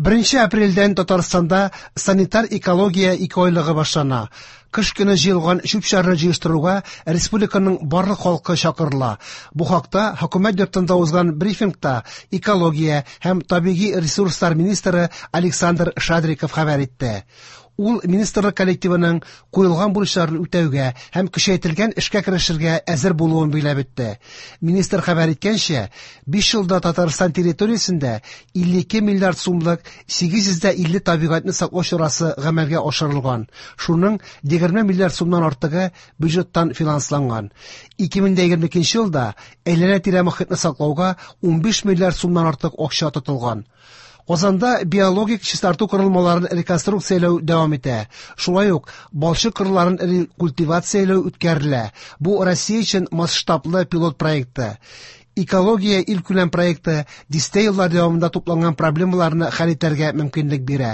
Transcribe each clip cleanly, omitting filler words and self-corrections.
1 апрельдән Татарстанда санитар-экология икеайлыгы башлана. Кыш көне җыелган чүп-чарны җыештыруга республиканың барлык халкы чакырыла. Бу хакта Хөкүмәт йортында узган брифингта экология һәм табигый ресурслар министры Александр Шадриков хәбәр итте. Ул министрлык коллективының куелган бурычларын үтәүгә һәм көчәйтелгән эшкә керешергә әзер булуын билгеләп үтте. Министр хәбәр иткәнчә, 5 елда Татарстан территориясендә 52 миллиард сумлык 850 табигатьне саклау чарасы гамәлгә ашырылган. Шуның 20 миллиард сумнан артыгы бюджеттан финансланган. 2022 елда әйләнә-тирә мохитне саклауга 15 миллиард сумнан артык акча тотылган. Казанда биологик чистарту корылмаларын реконструкцияләү дәвам итә. Шулай ук балчык кырларын рекультивацияләү үткәрелә. Бу Россия өчен масштаблы пилот проекты. Экология илкүләм проекты дистә еллар дәвамында тупланган проблемаларны хәл итәргә мөмкинлек бирә.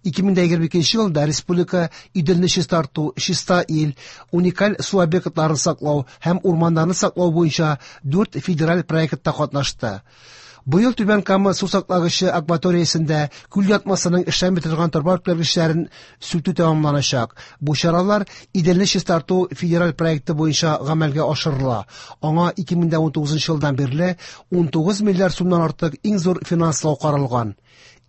2022 елда республика Иделне чистарту, чиста ил, уникаль су объектларын саклау һәм урманнарны саклау буенча 4 федераль проектта катнашты. Быел Түбән Кама су саклагычы акваториясендә күл ятмасының эшләми торган торба үткәргечләрен сүтү тәмамланачак. Бу чаралар Иделне чистарту федераль проекты буенча гамәлгә ашырыла. Аңа 2019 елдан бирле 19 миллиард сумнан артык иң зур финанслау каралган.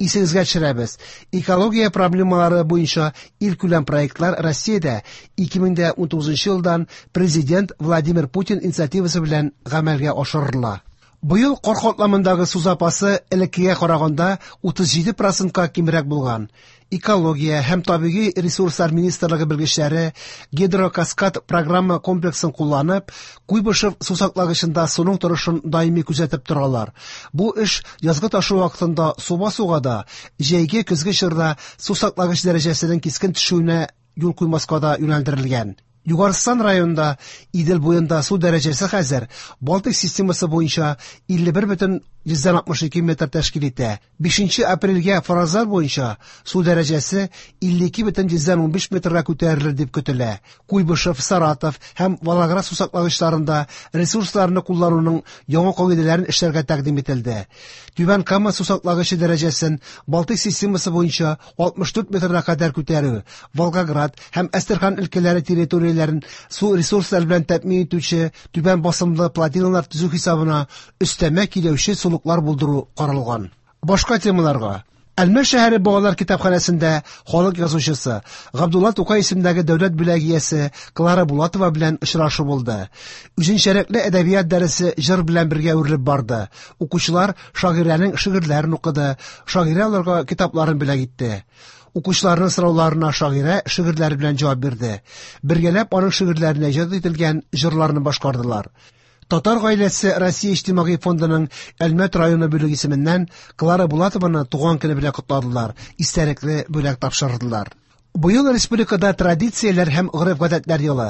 Исегезгә төшерәбез, экология проблемалары буенча илкүләм проектлар Россиядә 2019 елдан Президент Владимир Путин инициативасы белән гамәлгә ашырыла. Быел кар катламындагы су запасы элеккегә караганда 37%-ка кимрәк булган. Экология һәм табигый ресурслар министрлыгы белгечләре гидрокаскад программа комплексын кулланып, Куйбышев су саклагычында суның торышын даими күзәтеп торалар. Бу эш язгы ташу вакытында су басуга да, җәйге көзге чорда су саклагыч дәрәҗәсенең кискен төшүенә юл куймаска да юнәлдерелгән. Югарыстан районында Идел буенда су дәрәҗәсе хәзер Балтик системасы буенча 51,62 метр тәшкил итә. 5 апрельгә фаразлар буенча су дәрәҗәсе 52,15 метрга күтәрелер дип көтелә. Куйбышев, Саратов һәм Волгоград су саклагычларында ресурсларны куллануның яңа кагыйдәләрен эшләргә тәкъдим ителде. Түбән Кама су саклагычы дәрәҗәсен Балтик системасы буенча 64 метрга кадәр күтәрү, Волгоград һәм Әстерхан өлкәләре территорияләрен су ресурслары белән тәэмин итүче түбән басымлы плотиналар төзү хисабына өстәмә киләүче сулыклар булдыру каралган. Башка темаларга. Әлмәт шәһәре балалар китапханәсендә халык язучысы Габдулла Тукай исемендәге дәүләт бүләге иясе Клара Булатова белән очрашу булды. Үзенчәлекле әдәбият дәресе җыр белән бергә үрелеп барды. Укучылар шагыйрәнең шигырьләрен укыды, шагыйрә аларга китапларын бүләк итте. Укучыларның сорауларына шагыйрә шигырьләре белән җавап бирде. Бергәләп аның шигырьләренә иҗат ителгән җырларны башкардылар. Татар гаиләсе Россия иҗтимагый фондының Әлмәт районы бүлеге исеменнән Клара Булатованы туган көне белән котладылар, истәлекле бүләк тапшырдылар. Быел республикада традицияләр һәм гореф-гадәтләр елы.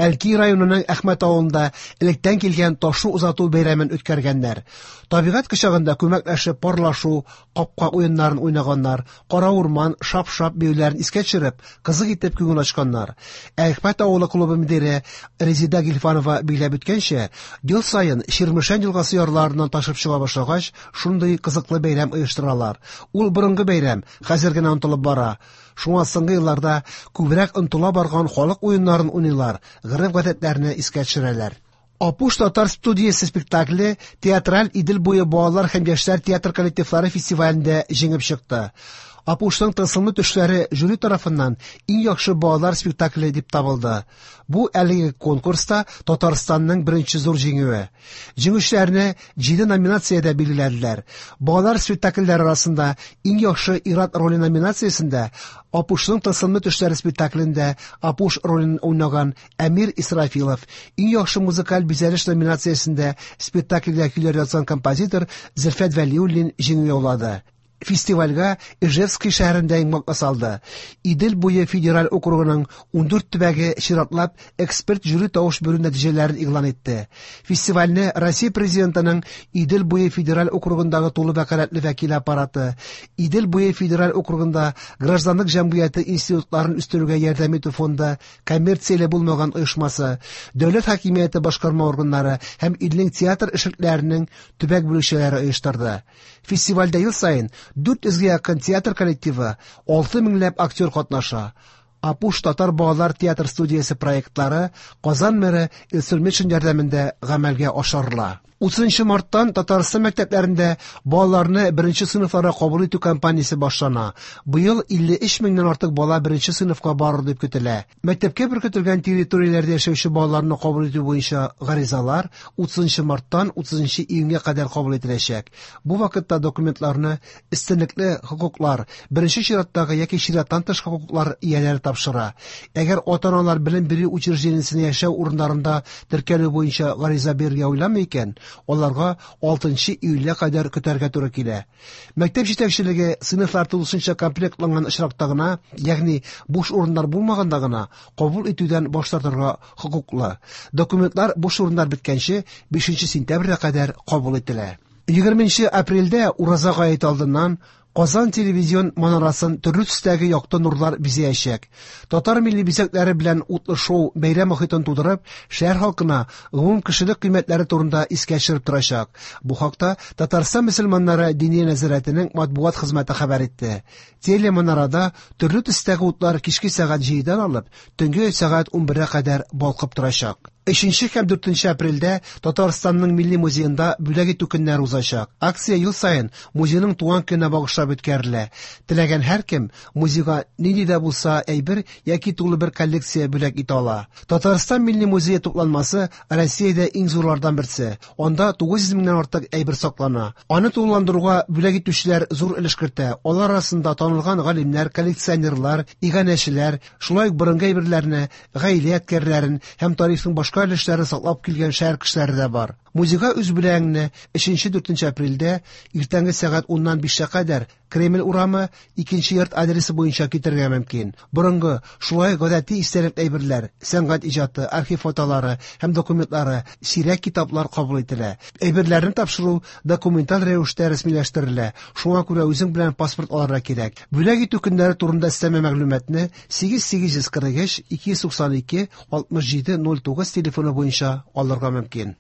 Әлки районының Әхмәт авылында электән килгән ташу узату бәйрәмен үткәргәннәр. Табигать кочагында күмәкләшеп парлашу, капка уеннарын уйнаганнар, кара урман, шап-шап биюләрен искә төшереп, кызык итеп күңел ачканнар. Әхмәт авылы клубы мөдире Резида Гильфанова билгеләп үткәнчә, ел саен Чирмешән елгасы ярларыннан ташып чыга башлагач, шундый кызыклы бәйрәм оештыралар. Ул борынгы бәйрәм, хәзер генә онытылып бара. Шуңа соңгы елларда күбрәк онытыла барган халык уеннарын уйныйлар, гореф-гадәтләрне искә төшерәләр. Апуш татар студиясе спектакле театраль Идел буе балалар һәм яшьләр театр коллективлары фестивалендә җиңеп чыкты. Апушның тылсымлы төшләре жюри тарафыннан иң яхшы балалар спектакле дип табылды. Бу әлеге конкурста Татарстанның беренче зур җиңүе. Җиңүчеләрне 7 номинациядә билгеләделәр. Балалар спектакльләре арасында иң яхшы ир-ат роле номинациясендә Апушның тылсымлы төшләре спектаклендә Апуш ролен уйнаган Әмир Исрафилов, иң яхшы музыкаль бизәлеш номинациясендә спектакльгә көйләр язган композитор Зөлфәт Вәлиуллин җиңү яулады. Фестивальгә Ижевский шәһәрендә йомгак ясалды. Идел буе федераль округының 14 төбәге чиратлап эксперт жюри тавыш бирү нәтиҗәләрен игълан итте. Фестивальне Россия президентының Идел буе федераль округындагы тулы вәкаләтле вәкиле аппараты, Идел буе федераль округында гражданлык җәмгыяте институтларын үстерүгә ярдәм итү фонды, коммерцияле булмаган оешмасы, дәүләт хакимияте башкарма органнары һәм илнең театр эшлекләренең төбәк бүлекчәләре оештырды. Фестивальдә ел саен 400 гә якын театр коллективы, 6 меңләп актер катнаша. Апуш татар балалар театр студиясе проектлары Казан мэры Илсур Метшин ярдәмендә гамәлгә ашырыла. 30 марттан Татарстан мәктәпләрендә балаларны беренче сыйныфларга кабул итү кампаниясе башлана. Быел 53 меңнән артык бала беренче сыйныфка барыр дип көтелә. Мәктәпкә беркетелгән территорияләрдә яшәүче балаларны кабул итү буенча гаризалар 30 марттан 30 июньгә кадәр кабул ителәчәк. Бу вакытта документларны өстенлекле хокуклар, беренче чираттагы яки чираттан тыш хокуклар ияләре тапшыра. Әгәр ата-аналар белем бирү учреждениесенә яшәү урыннарында теркәлү буенча гариза бирергә уйламый икән, аларга 6 июльгә кадәр көтәргә туры килә. Мәктәп җитәкчелеге сыйныфлар тулысынча комплектланган очракта гына, ягъни буш урыннар булмаганда гына, кабул итүдән баш тартырга хокуклы. Документлар буш урыннар беткәнче 5 сентябрьгә кадәр кабул ителә. 20 апрельдә Ураза гаете алдыннан Казан телевизион манарасын төрле төстәге якты нурлар бизәячәк. Татар милли бизәкләре белән утлы шоу бәйрәм мохитын тудырып, шәһәр халкына гомум кешелек кыйммәтләре турында искә төшереп торачак. Бу хакта Татарстан мөселманнары Диния нәзарәтенең матбугат хезмәте хәбәр итте. Телеманарада төрле төстәге утлар кичке сәгать 7-дән алып, төнге сәгать 11-гә кадәр балкып торачак. 3 һәм 4 апрельдә Татарстанның Милли музеенда бүләк итү көннәре узачак. Акция ел саен музейның туган көненә багышлап үткәрелә. Теләгән һәркем музейга нинди дә булса әйбер яки тулы бер коллекция бүләк итә ала. Татарстан Милли музее тупланмасы Россиядә иң зурлардан берсе. Анда 900 меңнән артык әйбер саклана. Аны тулыландыруга бүләк итүчеләр зур өлеш кертә. Алар арасында танылган галимнәр, коллекционерлар, иганәчеләр, шулай ук борынгы әйберләрне, гаилә ядкәрләрен һәм тарихның башка өлешләрен саклап килгән шәһәр кешеләре дә бар. Музейга үз бүләгеңне 3-4 апрельдә иртәнге сәгать 10-нан 5-кә кадәр Кремль урамы 2 йорт адресы буенча китерергә мөмкин. Борынгы, шулай ук гадәти истәлекле әйберләр, сәнгать иҗаты, архив фотолары һәм документлары, сирәк китаплар кабул ителә. Әйберләрне тапшыру документаль рәвештә рәсмиләштерелә. Шуңа күрә үзең белән паспорт алырга кирәк. Бүләк итү көннәре турында өстәмә мәгълүматны 8843 292 67 09 телефоны буенча алырга мөмкин.